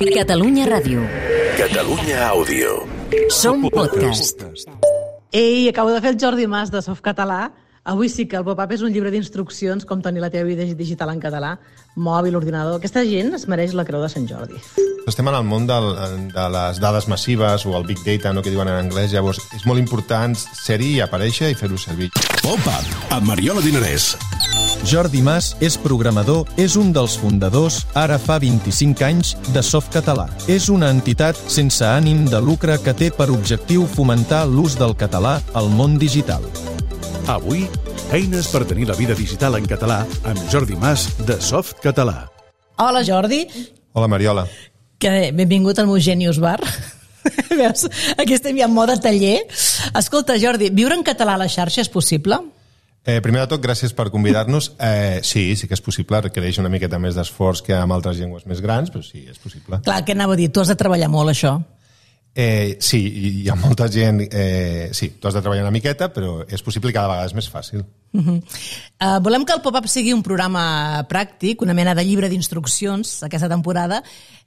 Catalunya Ràdio. Catalunya Àudio. Som podcast. Ei, acabo de fer el Jordi Mas de Softcatalà. Avui sí que el pop-up és un llibre d'instruccions com tenir la teva vida digital en català, mòbil, ordinador. Aquesta gent es mereix la Creu de Sant Jordi. Estem en el món de les dades massives o el Big Data, no, que diuen en anglès. Llavors, és molt important ser-hi, aparèixer i fer-ho servir. Pop-up, amb Mariola Dinarès. Jordi Mas és programador, és un dels fundadors, ara fa 25 anys, de Softcatalà. És una entitat sense ànim de lucre que té per objectiu fomentar l'ús del català al món digital. Avui, eines per tenir la vida digital en català amb Jordi Mas de Softcatalà. Hola, Jordi. Hola, Mariola. Que benvingut al meu Genius Bar. Veus? Aquí estem ja en mode taller. Escolta, Jordi, viure en català a la xarxa és possible? Primer de tot, gràcies per convidar-nos. Sí que és possible, requereix una miqueta més d'esforç que amb altres llengües més grans, però sí, és possible. Clar, què anava a dir? Tu has de treballar molt, això. Sí, hi ha molta gent... Sí, tu has de treballar una miqueta, però és possible i cada vegada és més fàcil. Volem que el pop-up sigui un programa pràctic, una mena de llibre d'instruccions aquesta temporada,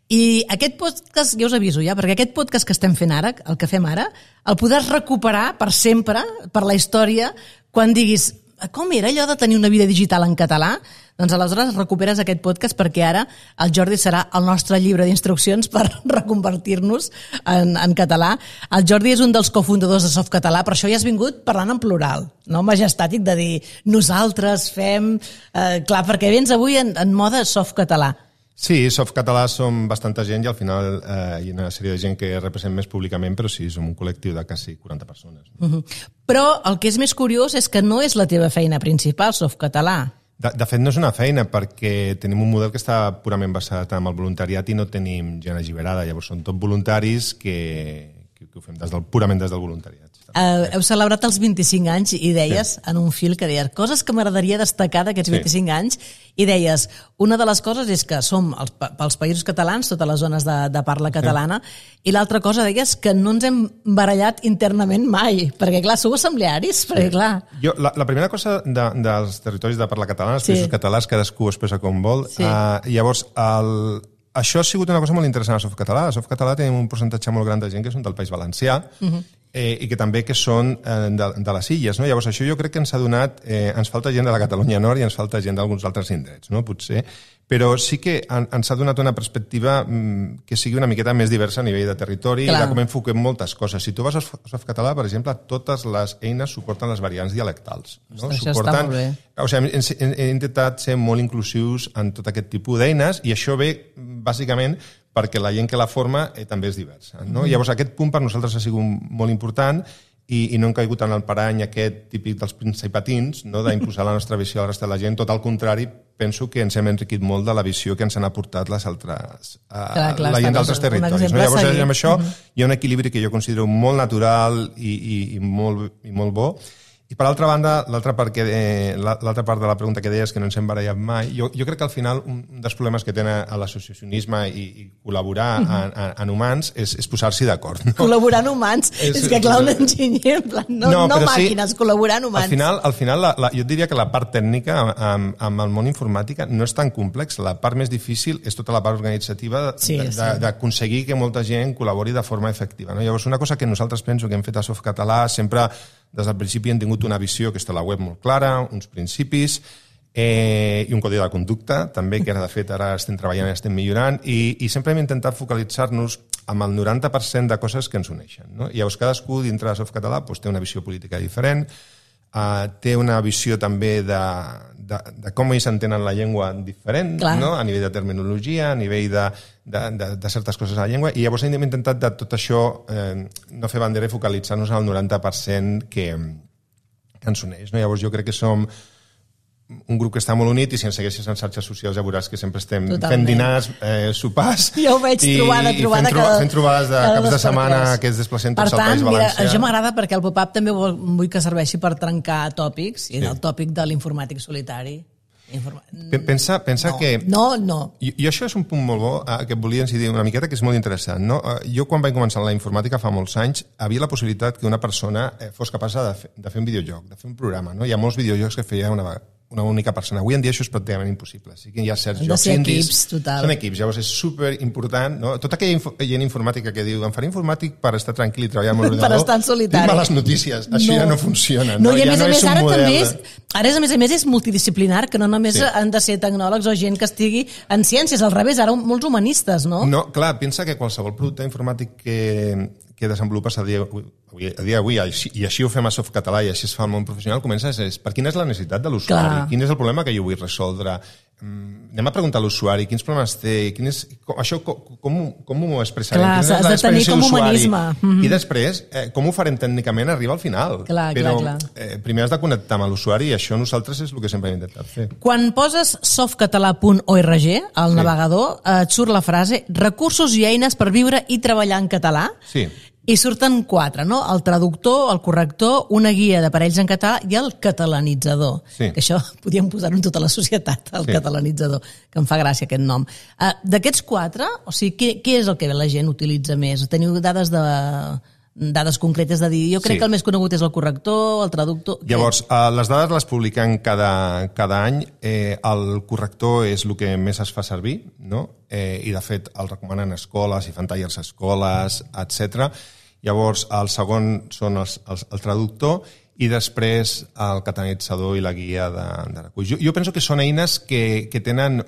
i aquest podcast, ja us aviso ja, perquè aquest podcast que estem fent ara, el que fem ara, el podràs recuperar per sempre, per la història, quan diguis com era allò de tenir una vida digital en català? Doncs aleshores recuperes aquest podcast perquè ara el Jordi serà el nostre llibre d'instruccions per reconvertir-nos en català. El Jordi és un dels cofundadors de Softcatalà, per això ja has vingut parlant en plural, no majestàtic de dir nosaltres fem... Clar, perquè vens avui en mode Softcatalà. Sí, Softcatalà som bastanta gent i al final hi ha una sèrie de gent que represent més públicament, però sí, som un col·lectiu de quasi 40 persones. Però el que és més curiós és que no és la teva feina principal, Softcatalà. De fet, no és una feina perquè tenim un model que està purament basat en el voluntariat i no tenim gent alliberada. Llavors són tot voluntaris que ho fem purament des del voluntariat. Heu celebrat els 25 anys i deies, en un fil que deies coses que m'agradaria destacar d'aquests 25 anys, i deies, una de les coses és que som pels països catalans, totes les zones de parla catalana, i l'altra cosa deies que no ens hem barallat internament mai, perquè clar, sou assemblearis, perquè clar... La primera cosa dels territoris de parla catalana, els països catalans, cadascú ho expressa com vol, llavors això ha sigut una cosa molt interessant a Softcatalà. A Softcatalà tenim un percentatge molt gran de gent que són del País Valencià i que també que són de les illes. No? Llavors, això jo crec que ens ha donat... ens falta gent de la Catalunya Nord i ens falta gent d'alguns altres indrets, no? Potser. Però sí que ens ha donat una perspectiva que sigui una miqueta més diversa a nivell de territori i de com enfoquem moltes coses. Si tu vas a Softcatalà, per exemple, totes les eines suporten les variants dialectals. No? Això està molt bé. O sigui, hem intentat ser molt inclusius en tot aquest tipus d'eines i això ve, bàsicament, perquè la gent que la forma també és diversa. No? Llavors, aquest punt per nosaltres ha sigut molt important i no hem caigut en el parany aquest típic dels principatins, no? D'imposar la nostra visió a la resta de la gent. Tot al contrari, penso que ens hem enriquit molt de la visió que ens han aportat les altres, la gent d'altres territoris. No? Llavors, amb això hi ha un equilibri que jo considero molt natural i molt bo. I per altra banda, l'altra part de la pregunta que deies, que no ens hem barallat mai, jo crec que al final un dels problemes que tenen l'associacionisme i col·laborar en humans és posar-s'hi d'acord. No? Col·laborar en humans? És que clar, un enginyer, en plan, no màquines, col·laborar en humans. Al final jo et diria que la part tècnica amb el món informàtica no és tan complex. La part més difícil és tota la part organitzativa d'aconseguir que molta gent col·labori de forma efectiva. No? Llavors, una cosa que nosaltres penso que hem fet a Softcatalà sempre des del principi hem tingut una visió que està a la web molt clara, uns principis i un codi de conducta, també, que de fet ara estem treballant i estem millorant, i sempre hem intentat focalitzar-nos amb el 90% de coses que ens uneixen. No? I llavors cadascú dintre de Softcatalà té una visió política diferent, té una visió també de com ells entenen la llengua diferent, no? A nivell de terminologia, a nivell de certes coses a la llengua, i llavors hem intentat de tot això no fer bandera i focalitzar-nos en el 90% que ens uneix. No? Llavors jo crec que som un grup que està molt unit i si ens segueixes en xarxes socials ja veuràs que sempre estem fent dinars, sopars jo ho veig fent trobades de caps de setmana que es desplacem tots al País Valencià. Per tant, això m'agrada perquè el pop-up també vull que serveixi per trencar tòpics i el tòpic de l'informàtic solitari. Pensa que... No. I això és un punt molt bo que et volia incidir una miqueta, que és molt interessant. No? Jo, quan vaig començar la informàtica fa molts anys, havia la possibilitat que una persona fos capaç de fer un videojoc, de fer un programa. No? Hi ha molts videojocs que feia una una única persona. Avui en dia això és pràcticament impossible. Sí que hi ha certs jocs indis. Són equips, llavors és superimportant. No? Tota aquella gent informàtica que diu em faré informàtic per estar tranquil i treballar amb l'ordinador. Per estar en solitari. Males notícies, això ja no funciona. No, i a més, ara també a més és multidisciplinar, que no només han de ser tecnòlegs o gent que estigui en ciències, al revés, ara molts humanistes, no? No, clar, pensa que qualsevol producte informàtic que desenvolupes a dia d'avui, i així ho fem a Softcatalà i així es fa al món professional, comences per quina és la necessitat de l'usuari, quin és el problema que jo vull resoldre. Anem a preguntar a l'usuari quins problemes té, això com ho expressarem, quina és l'experiència d'usuari, i després com ho farem tècnicament arriba al final. Però primer has de connectar amb l'usuari i això nosaltres és el que sempre hem intentat fer. Quan poses softcatalà.org al navegador et surt la frase recursos i eines per viure i treballar en català. Sí. I surten 4, no? El traductor, el corrector, una guia d'aparells en català i el catalanitzador. Sí. Que això podíem posar-ho en tota la societat, el catalanitzador, que em fa gràcia aquest nom. D'aquests 4, o sigui, què és el que la gent utilitza més? Teniu dades concretes de dir, jo crec que el més conegut és el corrector, el traductor... Llavors, les dades les publiquem cada any. El corrector és el que més es fa servir, no? I de fet el recomanen escoles i fan tallers a escoles, etc. Llavors, el segon són el traductor i després el catalanitzador i la guia de recull. Jo penso que són eines que tenen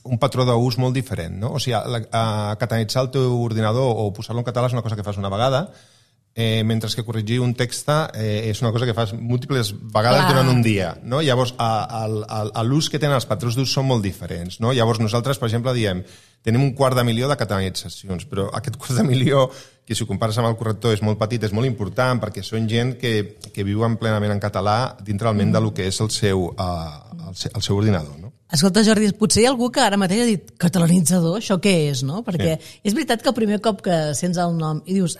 un patró d'ús molt diferent, no? O sigui, catalanitzar el teu ordinador o posar-lo en català és una cosa que fas una vegada, mentre que corregir un text és una cosa que fas múltiples vegades durant un dia, no? Llavors, l'ús que tenen els patrons d'ús són molt diferents, no? Llavors, nosaltres, per exemple, diem tenim 250.000 de catalanitzacions, però aquest 250.000, que si ho compares amb el corrector és molt petit, és molt important, perquè són gent que viuen plenament en català dintre almenys del que és el seu ordinador, no? Escolta, Jordi, potser hi ha algú que ara mateix ha dit catalanitzador, això què és, no? Perquè és veritat que el primer cop que sents el nom i dius,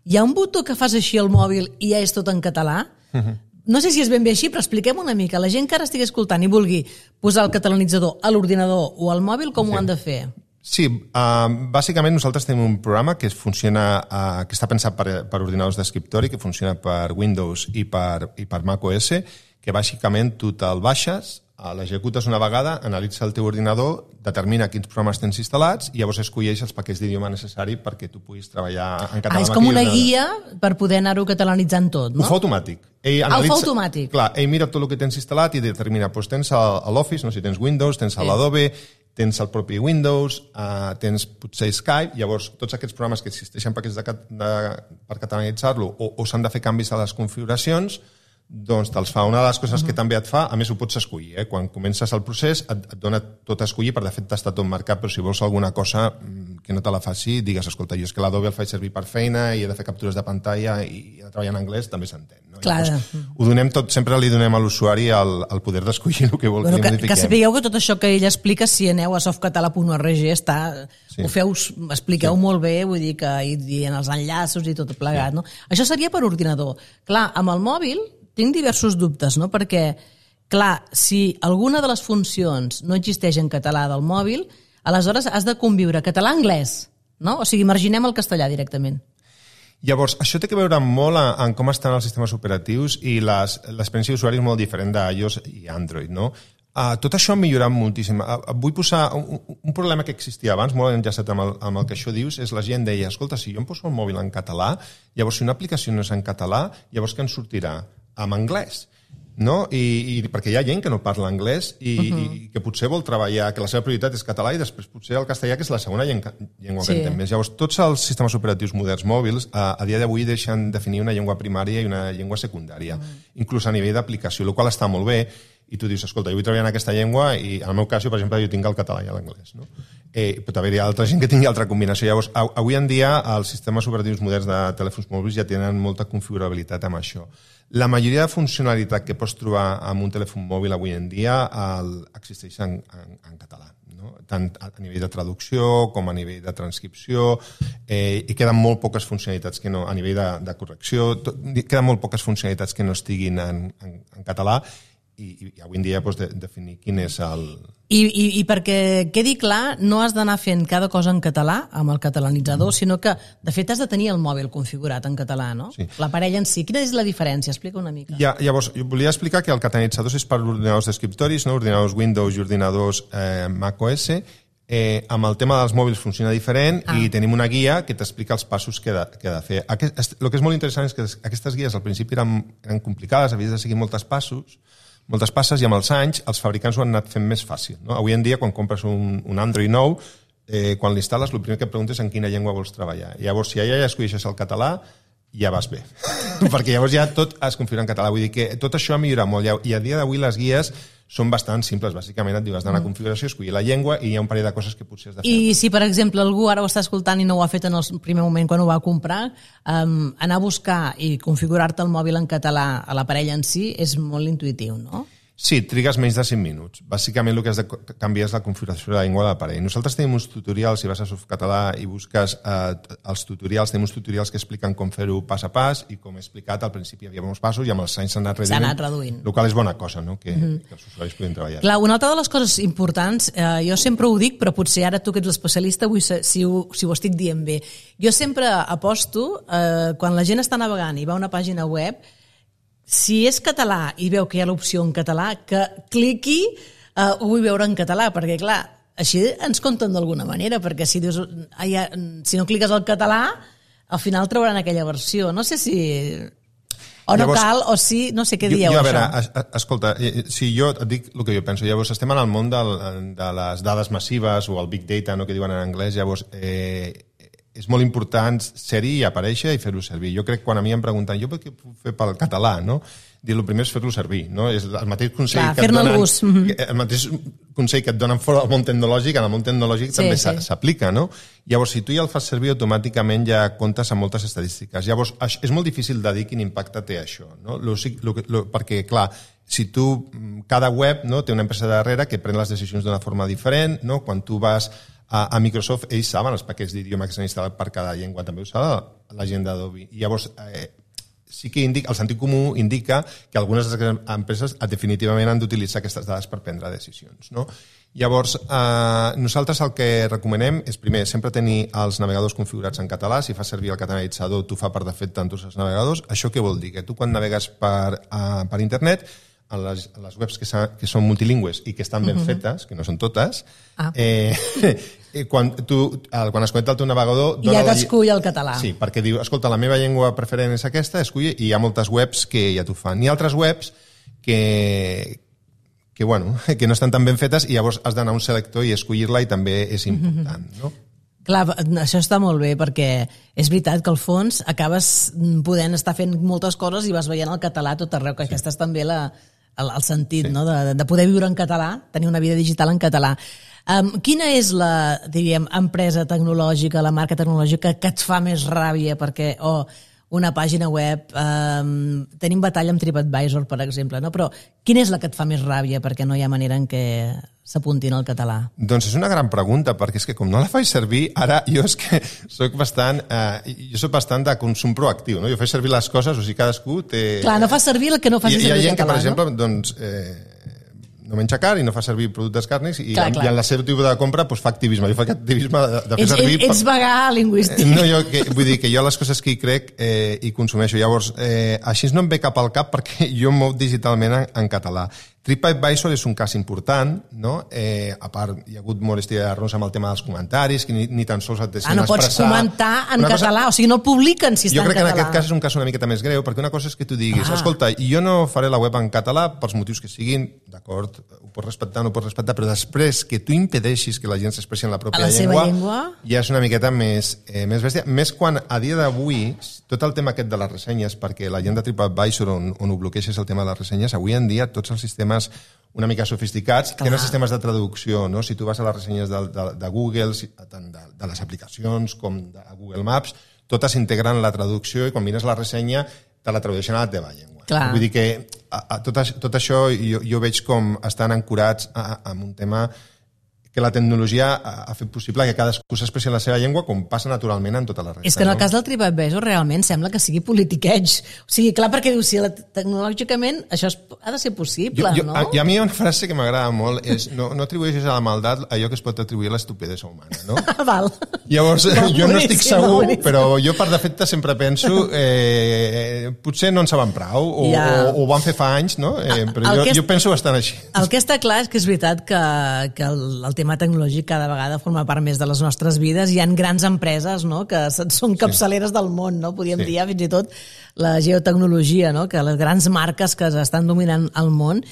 hi ha un botó que fas així al mòbil i ja és tot en català? No sé si és ben bé així, però expliquem una mica. La gent que ara estigui escoltant i vulgui posar el catalanitzador a l'ordinador o al mòbil, com ho han de fer? Sí, bàsicament nosaltres tenim un programa que funciona, que està pensat per ordinadors d'escriptori, que funciona per Windows i per macOS, que bàsicament tu te'l baixes, l'executes una vegada, analitza el teu ordinador, determina quins programes tens instal·lats i llavors escolleix els paquets d'idioma necessari perquè tu puguis treballar en català. És com una guia per poder anar-ho catalanitzant tot, no? Ho fa automàtic. Ho fa automàtic. Clar, ell mira tot el que tens instal·lat i determina, doncs tens l'Office, no sé si tens Windows, tens l'Adobe, tens el propi Windows, tens potser Skype, llavors tots aquests programes que existeixen paquets per catalanitzar-lo o s'han de fer canvis a les configuracions, doncs te'ls fa. Una de les coses que també et fa, a més ho pots escollir, quan comences el procés et dona tot a escollir, de fet t'està tot marcat, però si vols alguna cosa que no te la faci, digues, escolta, jo és que l'Adobe el faig servir per feina i he de fer captures de pantalla i he de treballar en anglès, també s'entén. No? Llavors, ho donem tot, sempre li donem a l'usuari el poder d'escollir el que vol que li modifiquem. Que sapigueu que tot això que ell explica, si aneu a softcatalà.org expliqueu molt bé, vull dir que hi dient els enllaços i tot plegat, no? Això seria per ordinador. Clar, amb el mòbil tinc diversos dubtes, no? Perquè, clar, si alguna de les funcions no existeix en català del mòbil, aleshores has de conviure català-anglès, no? O sigui, marginem el castellà directament. Llavors, això té a veure molt en com estan els sistemes operatius i l'experiència d'usuari és molt diferent d'iOS i Android, no? Tot això ha millorat moltíssim. Vull posar un problema que existia abans, molt enllaçat amb el que això dius, és la gent deia, escolta, si jo em poso el mòbil en català, llavors si una aplicació no és en català, llavors què en sortirà? En anglès, no? I perquè hi ha gent que no parla anglès i que potser vol treballar, que la seva prioritat és català i després potser el castellà, que és la segona llengua que entén més. Llavors, tots els sistemes operatius moderns mòbils a dia d'avui deixen definir una llengua primària i una llengua secundària, inclús a nivell d'aplicació, el qual està molt bé, i tu dius, escolta, jo vull treballar en aquesta llengua i en el meu cas, per exemple, jo tinc el català i l'anglès, no? Pot haver-hi altra gent que tingui altra combinació. Llavors, avui en dia, els sistemes operatius moderns de telèfons mòbils ja tenen molta configurabilitat amb això. La majoria de funcionalitat que pots trobar amb un telèfon mòbil avui en dia existeix en català, no? Tant a nivell de traducció com a nivell de transcripció, i queden molt poques funcionalitats que no, a nivell de correcció, queden molt poques funcionalitats que no estiguin en català, avui en dia definir quin és el... I perquè quedi clar, no has d'anar fent cada cosa en català, amb el catalanitzador, sinó que, de fet, has de tenir el mòbil configurat en català, no? Sí. L'aparell en si. Quina és la diferència? Explica una mica. Llavors, jo volia explicar que el catalanitzador és per ordinadors d'escriptoris, no? Ordinadors Windows i ordinadors macOS. Amb el tema dels mòbils funciona diferent i tenim una guia que t'explica els passos que ha de fer. El que és molt interessant és que aquestes guies al principi eren complicades, havies de seguir moltes passes, i amb els anys els fabricants ho han anat fent més fàcil. No? Avui en dia, quan compres un Android nou, quan l'instal·les, el primer que et preguntes en quina llengua vols treballar. Llavors, si allà ja escolleixes el català, ja vas bé. Perquè llavors ja tot es configura en català. Vull dir que tot això ha millorat molt. I a dia d'avui les guies són bastant simples. Bàsicament et diu, has d'anar a configuració, escollir la llengua i hi ha un parell de coses que potser has de fer. I si, per exemple, algú ara ho està escoltant i no ho ha fet en el primer moment quan ho va comprar, anar a buscar i configurar-te el mòbil en català a l'aparell en si és molt intuïtiu, no? Sí, trigues menys de 5 minuts. Bàsicament el que has de canviar és la configuració de la llengua de l'aparell. Nosaltres tenim uns tutorials, si vas a Softcatalà i busques els tutorials, tenim uns tutorials que expliquen com fer-ho pas a pas i com he explicat, al principi hi havia molts passos i amb els anys s'ha anat reduint. El qual és bona cosa, no? Que els usuaris puguin treballar. Clar, una altra de les coses importants, jo sempre ho dic, però potser ara tu que ets l'especialista vull saber si ho estic dient bé. Jo sempre aposto, quan la gent està navegant i va a una pàgina web, si és català i veu que hi ha l'opció en català, que cliqui ho vull veure en català, perquè clar, així ens compten d'alguna manera, perquè si dius, si no cliques al català, al final trauran aquella versió. No sé si... O no cal, o sí, no sé què dieu, a veure, això. Escolta, si jo et dic el que jo penso, llavors estem en el món de les dades massives o el big data, no, que diuen en anglès, llavors és molt important ser-hi i aparèixer i fer-ho servir. Jo crec que quan a mi em pregunten jo què puc fer pel català, no? El primer és fer-lo servir, no? És el mateix consell que et donen, el mateix consell que et donen fora del món tecnològic, en el món tecnològic també s'aplica, no? Llavors, si tu ja el fas servir, automàticament ja comptes amb moltes estadístiques. Llavors, és molt difícil de dir quin impacte té això, no? Perquè, clar, si tu, cada web, no, té una empresa darrere que pren les decisions d'una forma diferent, no? Quan tu vas a Microsoft, ells saben els paquets d'idioma que s'han instal·lat per cada llengua, també ho sap la gent d'Adobe. I llavors, sí que el sentit comú indica que algunes de les empreses definitivament han d'utilitzar aquestes dades per prendre decisions, no? Llavors, nosaltres el que recomanem és, primer, sempre tenir els navegadors configurats en català. Si fas servir el catalanitzador, t'ho fa per defecte en tots els navegadors. Això què vol dir? Que tu, quan navegues per internet, a les webs que són multilingües i que estan ben fetes, que no són totes, quan es connecta al teu navegador... Ja t'escull el català. Sí, perquè diu, escolta, la meva llengua preferent és aquesta, escull, i hi ha moltes webs que ja t'ho fan. Hi ha altres webs que no estan tan ben fetes i llavors has d'anar a un selector i escollir-la i també és important, no? Clar, això està molt bé perquè és veritat que al fons acabes podent estar fent moltes coses i vas veient el català a tot arreu, que aquesta és també el sentit, no? De poder viure en català, tenir una vida digital en català. Quina és la, diríem, empresa tecnològica, la marca tecnològica que et fa més ràbia perquè una pàgina web, tenim batalla amb TripAdvisor, per exemple, no? Però quina és la que et fa més ràbia perquè no hi ha manera en què s'apuntin al català? Doncs és una gran pregunta, perquè és que com no la faig servir, ara jo és que soc bastant de consum proactiu, no? Jo faig servir les coses, o sigui, cadascú té... Clar, no fa servir el que no faci servir el català, no? Hi ha gent que, per exemple, doncs... no menja carn i no fa servir productes càrnics i en la seva tipus de compra fa activisme. Jo faig activisme de fer servir... Ets vegà lingüístic. No, vull dir que jo les coses que hi crec hi consumeixo. Llavors, així no em ve cap al cap perquè jo em moc digitalment en català. TripAdvisor és un cas important, no? A part, hi ha hagut molèstia d'errors amb el tema dels comentaris, que ni tan sols et deixen expressar... No pots comentar en català, o sigui, no el publiquen si està en català. Jo crec que en aquest cas és un cas una miqueta més greu, perquè una cosa és que tu diguis, escolta, jo no faré la web en català pels motius que siguin, d'acord, ho pots respectar, no ho pots respectar, però després que tu impedeixis que la gent s'expressi en la pròpia llengua, ja és una miqueta més bèstia. Més quan a dia d'avui, tot el tema aquest de les ressenyes, perquè la gent de TripAdvisor on ho bloqueixes el tema de les ressenyes, avui en dia tots els sistemes una mica sofisticats, tenen sistemes de traducció, no? Si tu vas a les ressenyes de Google, tant de les aplicacions com de Google Maps, totes integren la traducció i quan mires la ressenya te la tradueixen a la teva llengua. Vull dir que tot això jo veig com estan ancorats en un tema que la tecnologia ha fet possible que cadascú s'expressi en la seva llengua com passa naturalment en tota la resta. És que en el cas del TripAdvisor realment sembla que sigui politiqueig. O sigui, clar, perquè diu, si tecnològicament això ha de ser possible, no? I a mi hi ha una frase que m'agrada molt, és no atribueixis a la maldat allò que es pot atribuir a l'estupidesa humana, no? Val. Llavors, jo no estic segur, però jo per defecte sempre penso potser no en saben prou, o ho van fer fa anys, no? Però jo penso bastant així. El que està clar és que és veritat que el tema tecnològic cada vegada forma part més de les nostres vides. Hi ha grans empreses, no?, que són capçaleres del món, no? Podríem dir fins i tot la geotecnologia, no?, que les grans marques que estan dominant el món.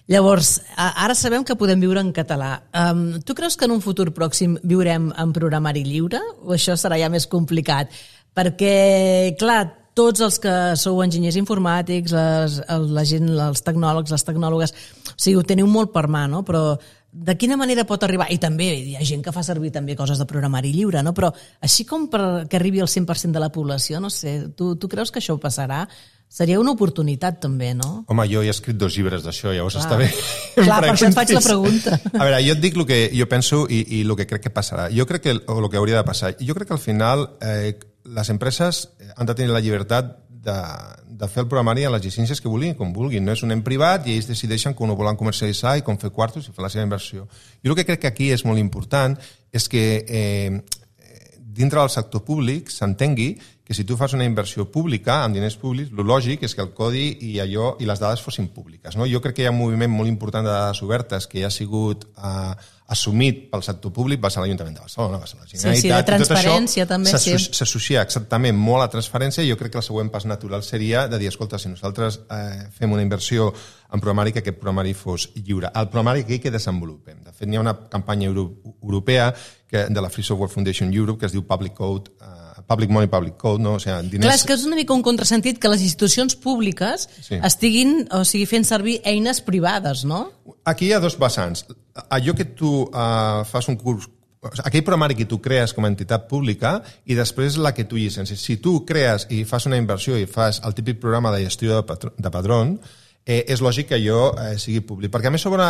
Llavors, ara sabem que podem viure en català. Tu creus que en un futur pròxim viurem en programari lliure o això serà ja més complicat? Perquè, clar, tots els que sou enginyers informàtics, la gent, els tecnòlegs, les tecnòlogues, o sigui, ho teniu molt per mà, no? Però de quina manera pot arribar? I també hi ha gent que fa servir també coses de programari lliure, no? Però així com perquè arribi al 100% de la població, no sé, tu creus que això passarà? Seria una oportunitat també, no? Home, jo he escrit 2 llibres d'això, llavors està bé. Clar, per això et faig la pregunta. A veure, jo et dic el que jo penso i el que crec que passarà. Jo crec que el que hauria de passar. Jo crec que al final les empreses han de tenir la llibertat de fer el programari a les llicències que vulguin, com vulguin. No és un ent privat i ells decideixen com ho volen comercialitzar i com fer quartos i fer la seva inversió. Jo el que crec que aquí és molt important és que dintre del sector públic s'entengui que si tu fas una inversió pública amb diners públics, el lògic és que el codi i les dades fossin públiques. No? Jo crec que hi ha un moviment molt important de dades obertes que ja ha sigut assumit pel sector públic, va ser l'Ajuntament de Barcelona, va ser la Generalitat. Sí, de transparència també. S'associa exactament molt a transparència i jo crec que el següent pas natural seria de dir, escolta, si nosaltres fem una inversió en programari, que aquest programari fos lliure. El programari que desenvolupem. De fet, hi ha una campanya europea de la Free Software Foundation Europe que es diu Public Code, Public Money, Public Code, no? O sigui, diners... Clar, és que és una mica un contrasentit que les institucions públiques estiguin, o sigui, fent servir eines privades, no? Aquí hi ha 2 vessants. Allò que tu fas un curs, aquell programari que tu crees com a entitat pública i després la que tu llicencies. Si tu crees i fas una inversió i fas el típic programa de gestió de padrón, és lògic que allò sigui públic. Perquè a més sobre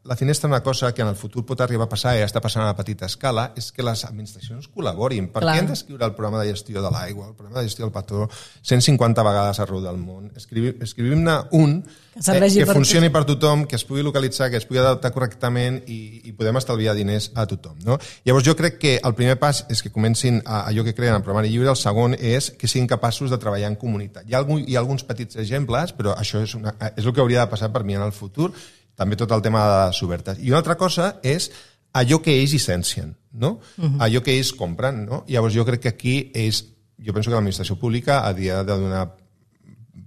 la finestra una cosa que en el futur pot arribar a passar i està passant a petita escala és que les administracions col·laborin. Per què hem d'escriure el programa de gestió de l'aigua, el programa de gestió del patró 150 vegades arreu del món? Escrivim-ne un que funcioni per tothom, que es pugui localitzar, que es pugui adaptar correctament i podem estalviar diners a tothom. No? Llavors jo crec que el primer pas és que comencin allò que creen en programari lliure, el segon és que siguin capaços de treballar en comunitat. Hi ha alguns petits exemples, però això és el que hauria de passar per mi en el futur, també tot el tema de les obertes. I una altra cosa és allò que ells llicencien, no? Allò que ells compren, no? Llavors jo crec que aquí jo penso que l'administració pública hauria de donar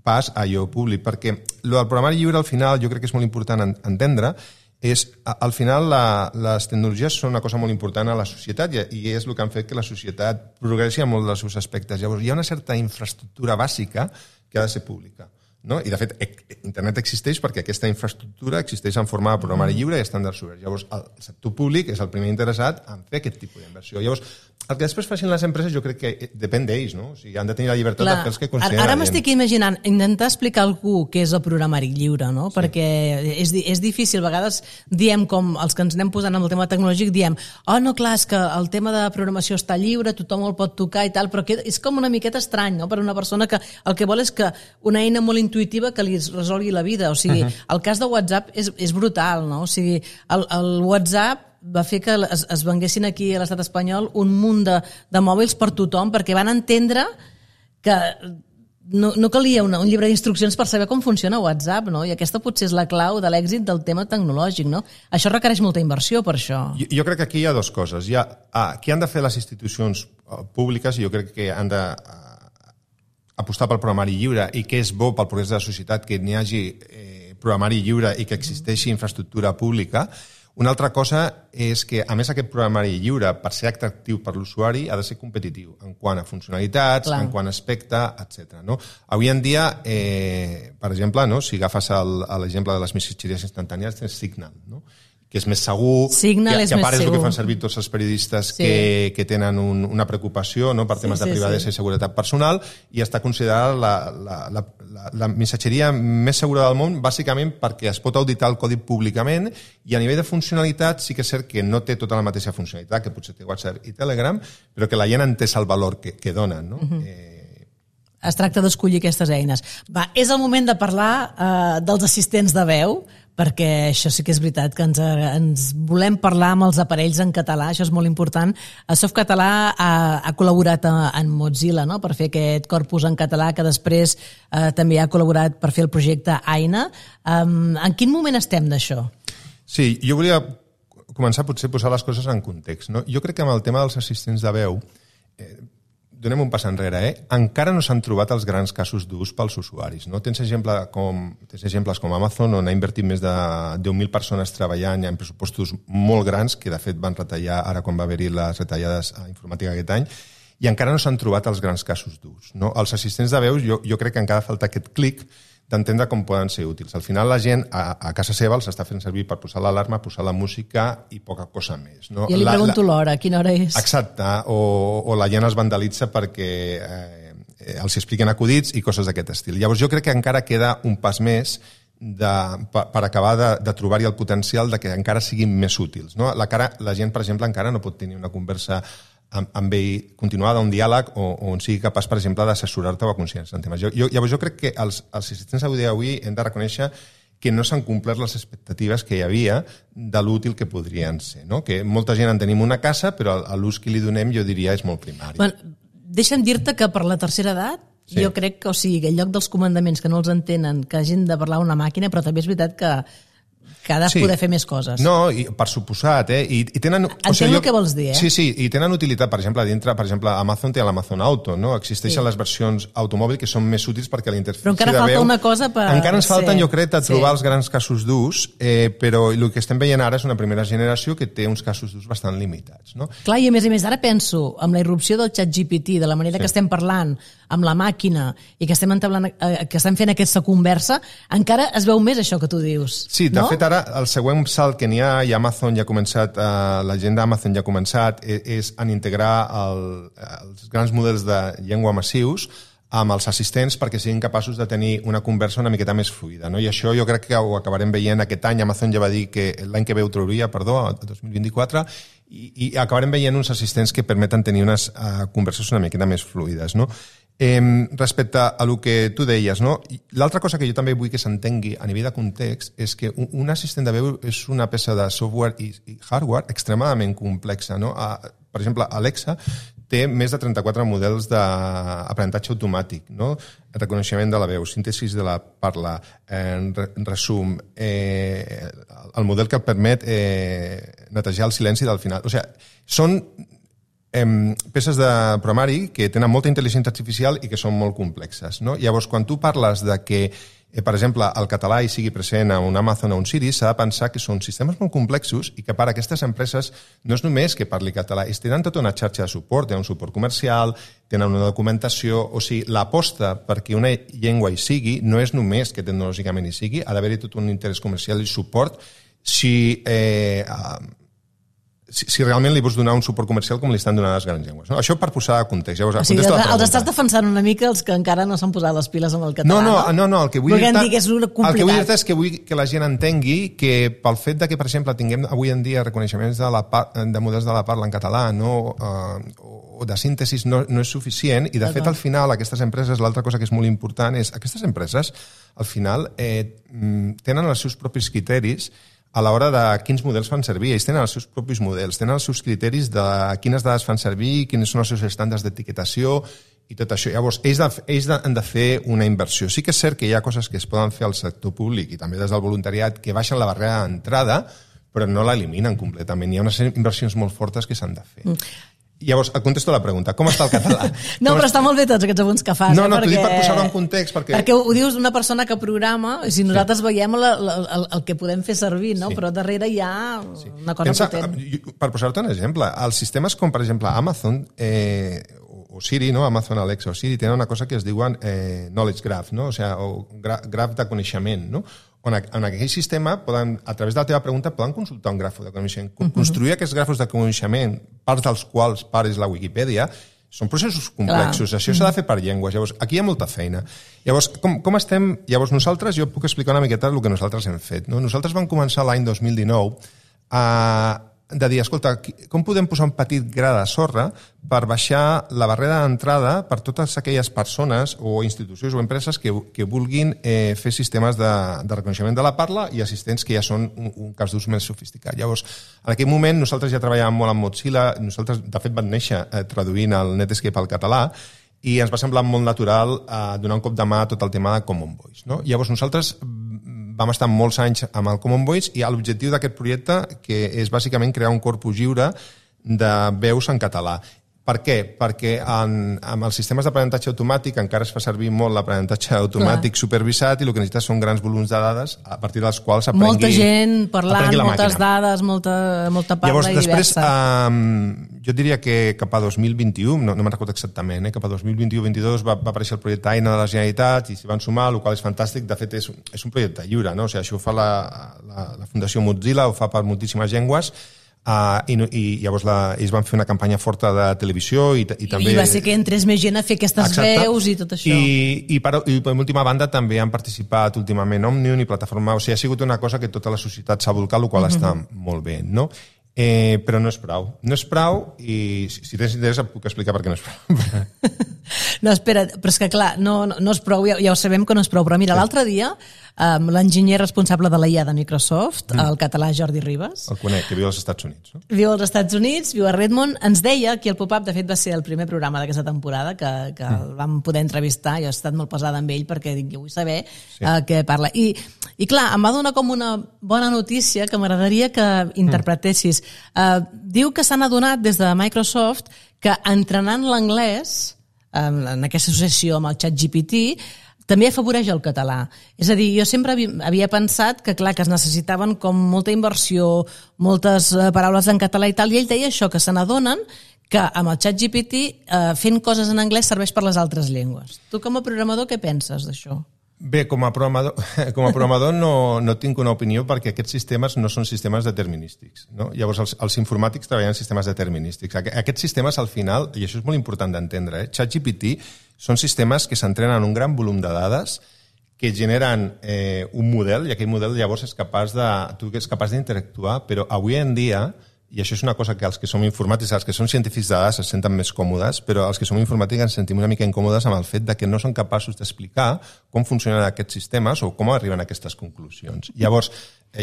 pas a allò públic, perquè el programari lliure al final jo crec que és molt important entendre al final les tecnologies són una cosa molt important a la societat i és el que han fet que la societat progressi en molts dels seus aspectes. Llavors hi ha una certa infraestructura bàsica que ha de ser pública. No? I de fet internet existeix perquè aquesta infraestructura existeix en forma de programari lliure i estàndards oberts. Llavors el sector públic és el primer interessat en fer aquest tipus d'inversió. Llavors el que després facin les empreses jo crec que depèn d'ells, no? O sigui, han de tenir la llibertat de fer els que consideren. Ara m'estic imaginant intentar explicar a algú què és el programari lliure, no? Perquè és difícil, a vegades diem, com els que ens anem posant amb el tema tecnològic, diem, no, clar, és que el tema de programació està lliure, tothom el pot tocar i tal, però és com una miqueta estrany, no? Per una persona que el que vol és que una eina molt intuïtiva que li resolgui la vida. O sigui, el cas de WhatsApp és brutal, no? O sigui, el WhatsApp va fer que es venguessin aquí a l'estat espanyol un munt de mòbils per tothom, perquè van entendre que no calia un llibre d'instruccions per saber com funciona WhatsApp, no? I aquesta potser és la clau de l'èxit del tema tecnològic, no? Això requereix molta inversió per això. Jo crec que aquí hi ha 2 coses. Què han de fer les institucions públiques? Jo crec que han de apostar pel programari lliure i que és bo pel progrés de la societat que n'hi hagi programari lliure i que existeixi infraestructura pública. Una altra cosa és que, a més, aquest programari lliure, per ser atractiu per l'usuari, ha de ser competitiu en quant a funcionalitats, en quant a aspecte, etc. No? Avui en dia, per exemple, no? Si agafes l'exemple de les missatgeries instantànies, tens Signal, no? que és més segur, Signal és que a més part és el que segur. fan servir tots els periodistes que tenen una preocupació, no, per temes de privadesa i seguretat personal, i està considerada la missatgeria més segura del món, bàsicament perquè es pot auditar el codi públicament, i a nivell de funcionalitat sí que és cert que no té tota la mateixa funcionalitat que potser té WhatsApp i Telegram, però que la gent ha entès el valor que donen, no? Es tracta d'escollir aquestes eines. Va, és el moment de parlar dels assistents de veu, perquè això sí que és veritat, que ens volem parlar amb els aparells en català, això és molt important. Softcatalà ha col·laborat en Mozilla, no?, per fer aquest corpus en català, que després també ha col·laborat per fer el projecte Aina. En quin moment estem d'això? Sí, jo volia començar potser a posar les coses en context, no? Jo crec que amb el tema dels assistents de veu, donem un pas enrere, encara no s'han trobat els grans casos d'ús pels usuaris, no? Tens exemples com Amazon, on ha invertit més de 10.000 persones treballant en pressupostos molt grans, que de fet van retallar ara quan va haver-hi les retallades a informàtica aquest any, i encara no s'han trobat els grans casos d'ús, no? Els assistents de veus, jo crec que encara falta aquest clic d'entendre com poden ser útils. Al final la gent a casa seva els està fent servir per posar l'alarma, posar la música i poca cosa més, no? Jo li pregunto l'hora, quina hora és? Exacte, o la gent es vandalitza perquè els expliquen acudits i coses d'aquest estil. Llavors jo crec que encara queda un pas més per acabar de trobar-hi el potencial de que encara siguin més útils, no? La gent, per exemple, encara no pot tenir una conversa amb ell continuada, un diàleg on sigui capaç, per exemple, d'assessorar-te o aconseguir-se en temes. Llavors jo crec que els assistents d'avui hem de reconèixer que no s'han complert les expectatives que hi havia de l'útil que podrien ser, no? Que molta gent en tenim una casa, però l'ús que li donem jo diria és molt primari. Bueno, deixa'm dir-te que per la tercera edat jo crec que, o sigui, en lloc dels comandaments que no els entenen, que hagin de parlar una màquina, però també és veritat que ha de poder fer més coses. No, i per suposat, I tenen... Entenc el que vols dir, Sí, i tenen utilitat, per exemple, dintre, Amazon té l'Amazon Auto, no? Existeixen les versions automòbil que són més útils perquè la interfície de veu... Però encara falta una cosa per... Encara ens falten, jo crec, de trobar els grans casos d'ús, però el que estem veient ara és una primera generació que té uns casos d'ús bastant limitats, no? Clar, i a més, ara penso, amb la irrupció del ChatGPT, de la manera que estem parlant amb la màquina i que estem fent aquesta conversa, encara es veu més això que tu dius. Sí, de fet, ara el següent salt que n'hi ha, i Amazon ja ha començat, la gent d'Amazon ja ha començat, és en integrar els grans models de llengua massius amb els assistents perquè siguin capaços de tenir una conversa una miqueta més fluida, no? I això jo crec que ho acabarem veient aquest any. Amazon ja va dir que l'any que ve ho trauria, el 2024, i acabarem veient uns assistents que permeten tenir unes converses una miqueta més fluides, no? Respecte a el que tu deies, no? L'altra cosa que jo també vull que s'entengui a nivell de context és que un assistent de veu és una peça de software i hardware extremadament complexa, no? Per exemple, Alexa té més de 34 models d'aprenentatge automàtic, no? Reconeixement de la veu, síntesi de la parla, resum, el model que et permet netejar el silenci del final. O sigui, són peces de programari que tenen molta intel·ligència artificial i que són molt complexes, no? Llavors, quan tu parles de que, per exemple, el català hi sigui present a un Amazon o un Siri, s'ha de pensar que són sistemes molt complexos i que per a aquestes empreses no és només que parli català, tenen tota una xarxa de suport, tenen un suport comercial, tenen una documentació, o sigui, l'aposta perquè una llengua hi sigui no és només que tecnològicament hi sigui, ha d'haver-hi tot un interès comercial i suport si realment li vols donar un suport comercial com li estan donant les grans llengües. No? Això per posar context. Llavors, o sigui, els estàs defensant una mica els que encara no s'han posat les piles amb el català, no? El que vull dir és complicat. És que vull que la gent entengui que pel fet de que, per exemple, tinguem avui en dia reconeixements de models de la parla en català, no, o de síntesis, no és suficient, i de fet, al final, aquestes empreses, l'altra cosa que és molt important és aquestes empreses, al final, tenen els seus propis criteris a l'hora de quins models fan servir. Ells tenen els seus propis models, tenen els seus criteris de quines dades fan servir, quins són els seus estàndards d'etiquetació i tot això. Llavors, ells han de fer una inversió. Sí que és cert que hi ha coses que es poden fer al sector públic i també des del voluntariat que baixen la barrera d'entrada, però no l'eliminen completament. Hi ha unes inversions molt fortes que s'han de fer. Llavors, et contesto la pregunta. Com està el català? No, però està molt bé tots aquests apunts que fas. No, t'ho dic per posar-ho en context. Perquè ho dius una persona que programa, i si nosaltres veiem el que podem fer servir, no? Però darrere hi ha una cosa potent. Per posar-te un exemple, els sistemes com, per exemple, Amazon o Siri, no? Amazon Alexa o Siri tenen una cosa que es diuen knowledge graph, no? O sigui, graph de coneixement, no? en aquell sistema, a través de la teva pregunta, poden consultar un grafo de coneixement. Construir aquests grafos de coneixement, parts dels quals part és la Wikipedia, són processos complexos. Això s'ha de fer per llengües. Llavors, aquí hi ha molta feina. Llavors, com estem? Llavors, nosaltres, jo puc explicar una miqueta el que nosaltres hem fet. No? Nosaltres vam començar l'any 2019 de dir, escolta, com podem posar un petit gra de sorra per baixar la barrera d'entrada per totes aquelles persones o institucions o empreses que vulguin fer sistemes de reconeixement de la parla i assistents que ja són un cas d'ús més sofisticat. Llavors, en aquell moment nosaltres ja treballàvem molt amb Mozilla, nosaltres de fet vam néixer traduint el Netscape al català i ens va semblar molt natural donar un cop de mà a tot el tema de Common Voice. No? Llavors nosaltres vam estar molts anys amb el Common Voice i l'objectiu d'aquest projecte que és bàsicament crear un corpus lliure de veus en català. Per què? Perquè amb els sistemes d'aprenentatge automàtic encara es fa servir molt l'aprenentatge automàtic supervisat i el que necessites són grans volums de dades a partir dels quals aprengui molta gent parlant, moltes dades, molta parla. Llavors, i després, diversa. Jo diria que cap a 2021, no me'n recordo exactament, cap a 2021-2022 va aparèixer el projecte Eina de la Generalitat i s'hi van sumar, el qual és fantàstic. De fet, és un projecte lliure, no? O sigui, això ho fa la Fundació Mozilla, ho fa per moltíssimes llengües, i llavors ells van fer una campanya forta de televisió i també... I va ser que entrés més gent a fer aquestes veus i tot això. I per última banda també han participat últimament Òmnium i Plataforma... O sigui, ha sigut una cosa que tota la societat s'ha volcat, el qual està molt bé, no? Però no és prou. No és prou i si tens interès et puc explicar per què no és prou. No, espera, però és que clar, no és prou, ja ho sabem que no és prou, però mira, l'altre dia l'enginyer responsable de la IA de Microsoft, el català Jordi Ribas... El conec, que viu als Estats Units. No? Viu als Estats Units, viu a Redmond, ens deia que el pop-up, de fet, va ser el primer programa d'aquesta temporada que el vam poder entrevistar, jo he estat molt pesada amb ell perquè dic, jo vull saber què parla. I clar, em va donar com una bona notícia que m'agradaria que interpretessis. Diu que s'han adonat des de Microsoft que entrenant l'anglès en aquesta associació amb el ChatGPT també afavoreix el català. És a dir, jo sempre havia pensat que, clar, que es necessitaven com molta inversió, moltes paraules en català i tal, i ell deia això, que se n'adonen que amb el ChatGPT fent coses en anglès serveix per les altres llengües. Tu com a programador què penses d'això? Bé, com a programador no tinc una opinió perquè aquests sistemes no són sistemes determinístics. No? Llavors, els informàtics treballen en sistemes determinístics. Aquests sistemes, al final, i això és molt important d'entendre, ChatGPT són sistemes que s'entrenen en un gran volum de dades que generen un model i aquell model llavors és capaç d'interactuar, però avui en dia, i això és una cosa que els que som informàtics, els que són científics de dades es senten més còmodes, però els que som informàtics ens sentim una mica incòmodes amb el fet de que no són capaços d'explicar com funcionen aquests sistemes o com arriben a aquestes conclusions. Llavors,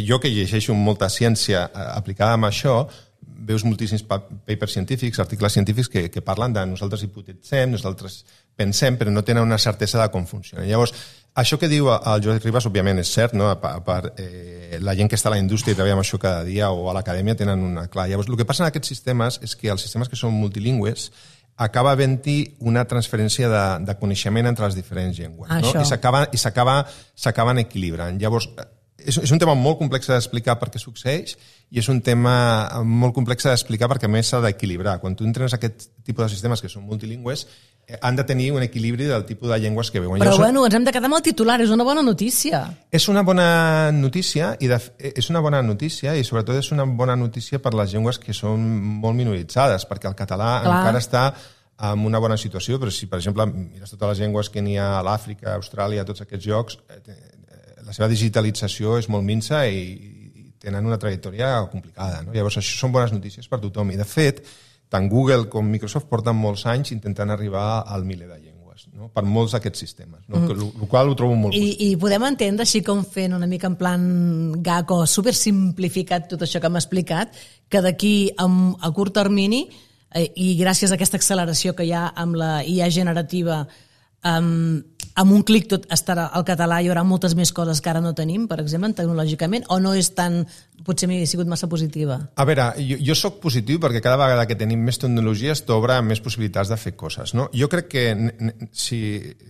jo que llegeixo molta ciència aplicada amb això, veus moltíssims papers científics, articles científics que parlen de nosaltres hipotetitzem, nosaltres pensem, però no tenen una certesa de com funciona. Llavors, això que diu el Jordi Ribas, òbviament, és cert, no? La gent que està a la indústria i treballa amb això cada dia o a l'acadèmia tenen una clara. Llavors, el que passa en aquests sistemes és que els sistemes que són multilingües acaba havent-hi una transferència de coneixement entre les diferents llengües. No? I s'acaben equilibrant. Llavors, és un tema molt complex d'explicar per què succeeix i és un tema molt complex d'explicar perquè a més s'ha d'equilibrar. Quan tu entrenes aquest tipus de sistemes que són multilingües han de tenir un equilibri del tipus de llengües que veuen. Però bueno, ens hem de quedar amb el titular, és una bona notícia. És una bona notícia i sobretot és una bona notícia per les llengües que són molt minoritzades, perquè el català encara està en una bona situació, però si per exemple mires totes les llengües que n'hi ha a l'Àfrica, a Austràlia, a tots aquests llocs, la seva digitalització és molt minsa i tenen una trajectòria complicada. No? Llavors, això són bones notícies per tothom. I, de fet, tant Google com Microsoft porten molts anys intentant arribar al miler de llengües, no? Per molts d'aquests sistemes, no? El qual ho trobo molt positiu. I podem entendre, així com fent una mica en plan gag o supersimplificat tot això que m'ha explicat, que d'aquí a curt termini, i gràcies a aquesta acceleració que hi ha amb la IA generativa, amb un clic tot estarà al català, hi haurà moltes més coses que ara no tenim, per exemple, tecnològicament, o no és tan... Potser m'he sigut massa positiva? A veure, jo soc positiu perquè cada vegada que tenim més tecnologies t'obre més possibilitats de fer coses. No? Jo crec que si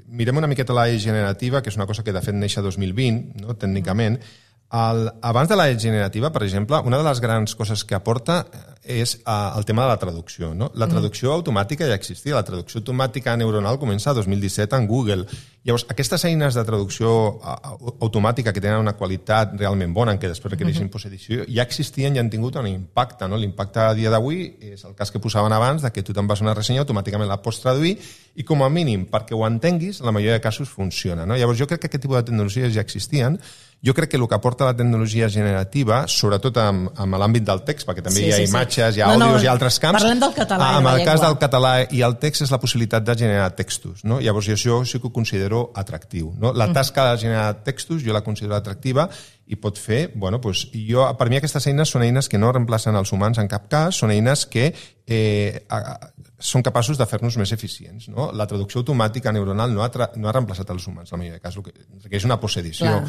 mirem una miqueta la generativa, que és una cosa que de fet neix a 2020, no? Tècnicament, Abans de la generativa, per exemple, una de les grans coses que aporta és el tema de la traducció. No? La traducció automàtica ja existia. La traducció automàtica neuronal comença el 2017 en Google. Llavors, aquestes eines de traducció automàtica que tenen una qualitat realment bona, en què després requereixen postedició, ja existien i han tingut un impacte. No? L'impacte a dia d'avui és el cas que posaven abans, de que tu te'n vas a una ressenya, automàticament la pots traduir i, com a mínim, perquè ho entenguis, la majoria de casos funciona. No? Llavors, jo crec que aquest tipus de tecnologies ja existien. Jo crec que el que aporta la tecnologia generativa, sobretot amb l'àmbit del text, perquè també hi ha imatges, hi ha àudios, hi ha altres camps. Parlem del català. En el cas del català i el text és la possibilitat de generar textos. No? Llavors, jo això sí que ho considero atractiu. No? La tasca de generar textos jo la considero atractiva i pot fer... Bueno, doncs, per mi aquestes eines són eines que no reemplacen els humans en cap cas, són eines que són capaços de fer-nos més eficients. No? La traducció automàtica neuronal no ha reemplaçat els humans, la majoria de casos, requereix una postedició.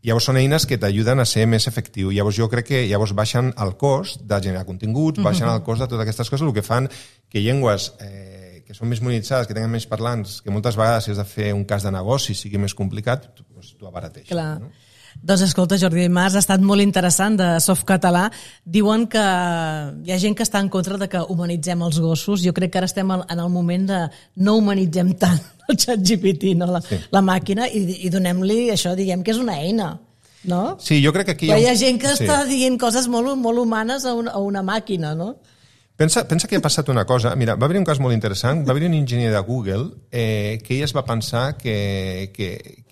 Llavors són eines que t'ajuden a ser més efectiu. Llavors jo crec que baixen el cost de generar continguts, baixen el cost de totes aquestes coses, el que fan que llengües que són més monitoritzades, que tenen més parlants, que moltes vegades si has de fer un cas de negoci sigui més complicat, t'ho abarateix. Clar. No? Doncs escolta, Jordi Mas, ha estat molt interessant de Softcatalà. Diuen que hi ha gent que està en contra de que humanitzem els gossos. Jo crec que ara estem en el moment de no humanitzem tant el ChatGPT, no? La màquina, i donem-li això, diguem que és una eina. No? Sí, jo crec que aquí hi ha gent que està dient coses molt, molt humanes a una màquina, no? Pensa que ha passat una cosa. Mira, va haver un cas molt interessant. Va haver un enginyer de Google que ell es va pensar que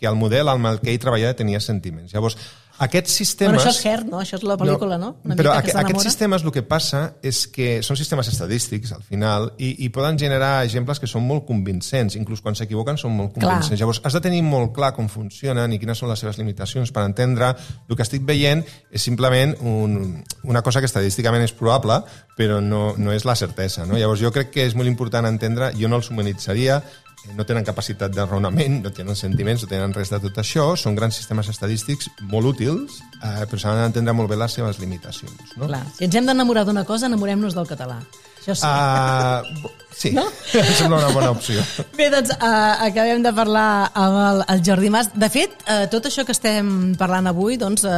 el model amb el que ell treballava tenia sentiments. Llavors, aquests sistemes... Però això és Her, no? Això és la pel·lícula, no? Però aquests sistemes el que passa és que són sistemes estadístics, al final, i poden generar exemples que són molt convincents. Inclús quan s'equivoquen són molt convincents. Llavors, has de tenir molt clar com funcionen i quines són les seves limitacions per entendre. El que estic veient és simplement una cosa que estadísticament és probable, però no és la certesa. No? Llavors, jo crec que és molt important entendre, jo no els humanitzaria, no tenen capacitat de raonament, no tenen sentiments, no tenen res de tot això, són grans sistemes estadístics molt útils, però s'han d'entendre molt bé les seves limitacions. No? Clar. Si ens hem d'enamorar d'una cosa, enamorem-nos del català. Això sí. Sí, no? Em sembla una bona opció. Bé, doncs acabem de parlar amb el Jordi Mas. De fet, tot això que estem parlant avui, doncs,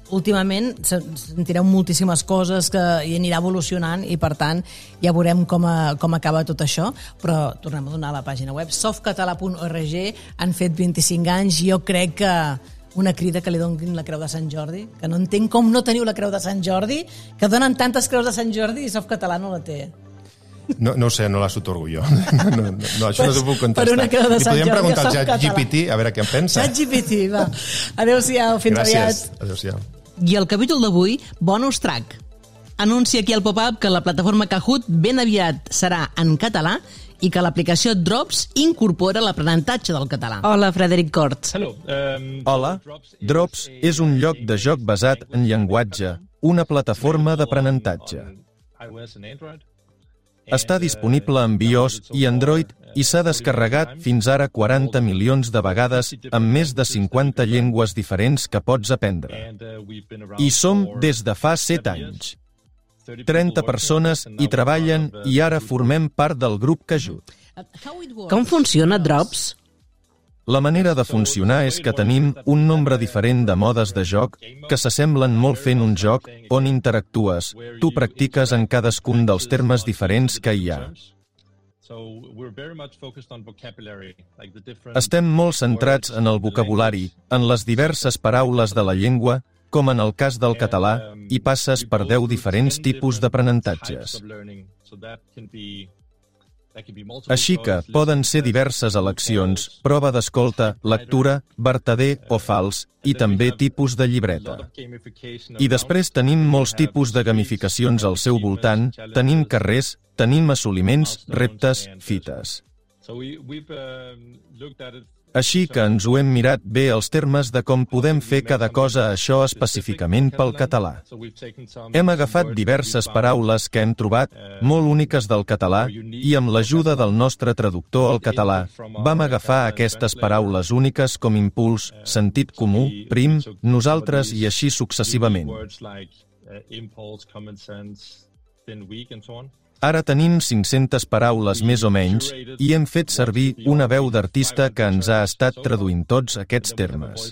últimament sentireu moltíssimes coses que hi anirà evolucionant i, per tant, ja veurem com acaba tot això, però tornem a donar la pàgina web softcatalà.org. Han fet 25 anys. Jo crec que una crida que li donin la Creu de Sant Jordi, que no entenc com no teniu la Creu de Sant Jordi, que donen tantes Creus de Sant Jordi i Softcatalà no la té. No ho sé, no les otorgo jo. No, això no t'ho puc contestar. Per una Creu de Sant Jordi. Li podríem preguntar al ChatGPT a veure què en pensa. ChatGPT, va. Adéu-siau, fins aviat. Gràcies, adéu-siau. I el capítol d'avui, bonus track. Anuncia aquí al pop-up que la plataforma Kahoot ben aviat serà en català i que l'aplicació Drops incorpora l'aprenentatge del català. Hola, Frederic Corts. Hola, Drops és un lloc de joc basat en llenguatge, una plataforma d'aprenentatge. Està disponible en iOS i Android i s'ha descarregat fins ara 40 milions de vegades amb més de 50 llengües diferents que pots aprendre. I som des de fa 7 anys. 30 persones hi treballen i ara formem part del grup Kahoot. Com funciona Drops? La manera de funcionar és que tenim un nombre diferent de modes de joc que s'assemblen molt fent un joc on interactues. Tu practiques en cadascun dels termes diferents que hi ha. Estem molt centrats en el vocabulari, en les diverses paraules de la llengua, com en el cas del català, i passes per 10 diferents tipus d'aprenentatges. Així que poden ser diverses eleccions, prova d'escolta, lectura, vertader o fals, i també tipus de llibreta. I després tenim molts tipus de gamificacions al seu voltant, tenim carrers, tenim assoliments, reptes, fites. Així que ens ho hem mirat bé els termes de com podem fer cada cosa això específicament pel català. Hem agafat diverses paraules que hem trobat, molt úniques del català, i amb l'ajuda del nostre traductor al català, vam agafar aquestes paraules úniques com impuls, sentit comú, prim, nosaltres i així successivament. Ara tenim 500 paraules més o menys i hem fet servir una veu d'artista que ens ha estat traduint tots aquests termes.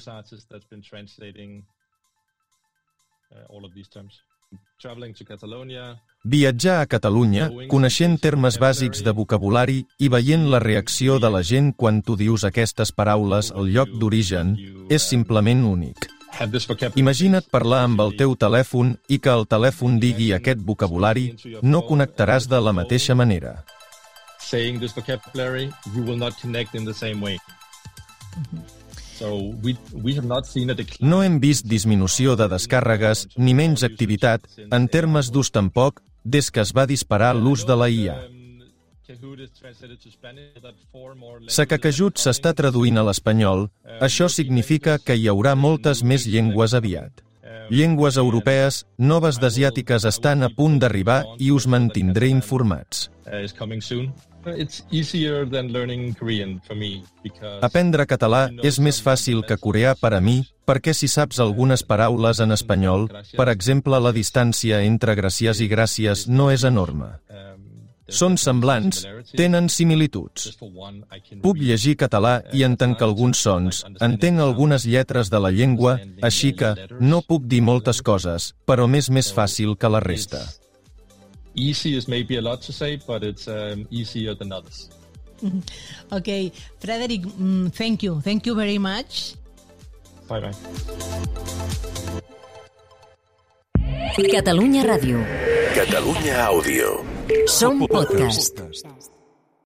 Viatjar a Catalunya, coneixent termes bàsics de vocabulari i veient la reacció de la gent quan tu dius aquestes paraules al lloc d'origen, és simplement únic. Imagina't parlar amb el teu telèfon i que el telèfon digui aquest vocabulari, no connectaràs de la mateixa manera. No hem vist disminució de descàrregues ni menys activitat, en termes d'ús tampoc, des que es va disparar l'ús de la IA. Sakakajut s'està traduint a l'espanyol, això significa que hi haurà moltes més llengües aviat. Llengües europees, noves d'asiàtiques estan a punt d'arribar i us mantindré informats. Aprendre català és més fàcil que coreà per a mi perquè si saps algunes paraules en espanyol, per exemple, la distància entre gracias i gràcies no és enorme. Són semblants, tenen similituds. Puc llegir català i entenc alguns sons, entenc algunes lletres de la llengua, així que no puc dir moltes coses, però m'és més fàcil que la resta. Easy is maybe a lot to say, but it's easier than others. Okay, Frederic, thank you. Thank you very much. Bye-bye. Catalunya Ràdio. Catalunya Àudio. Som podcast.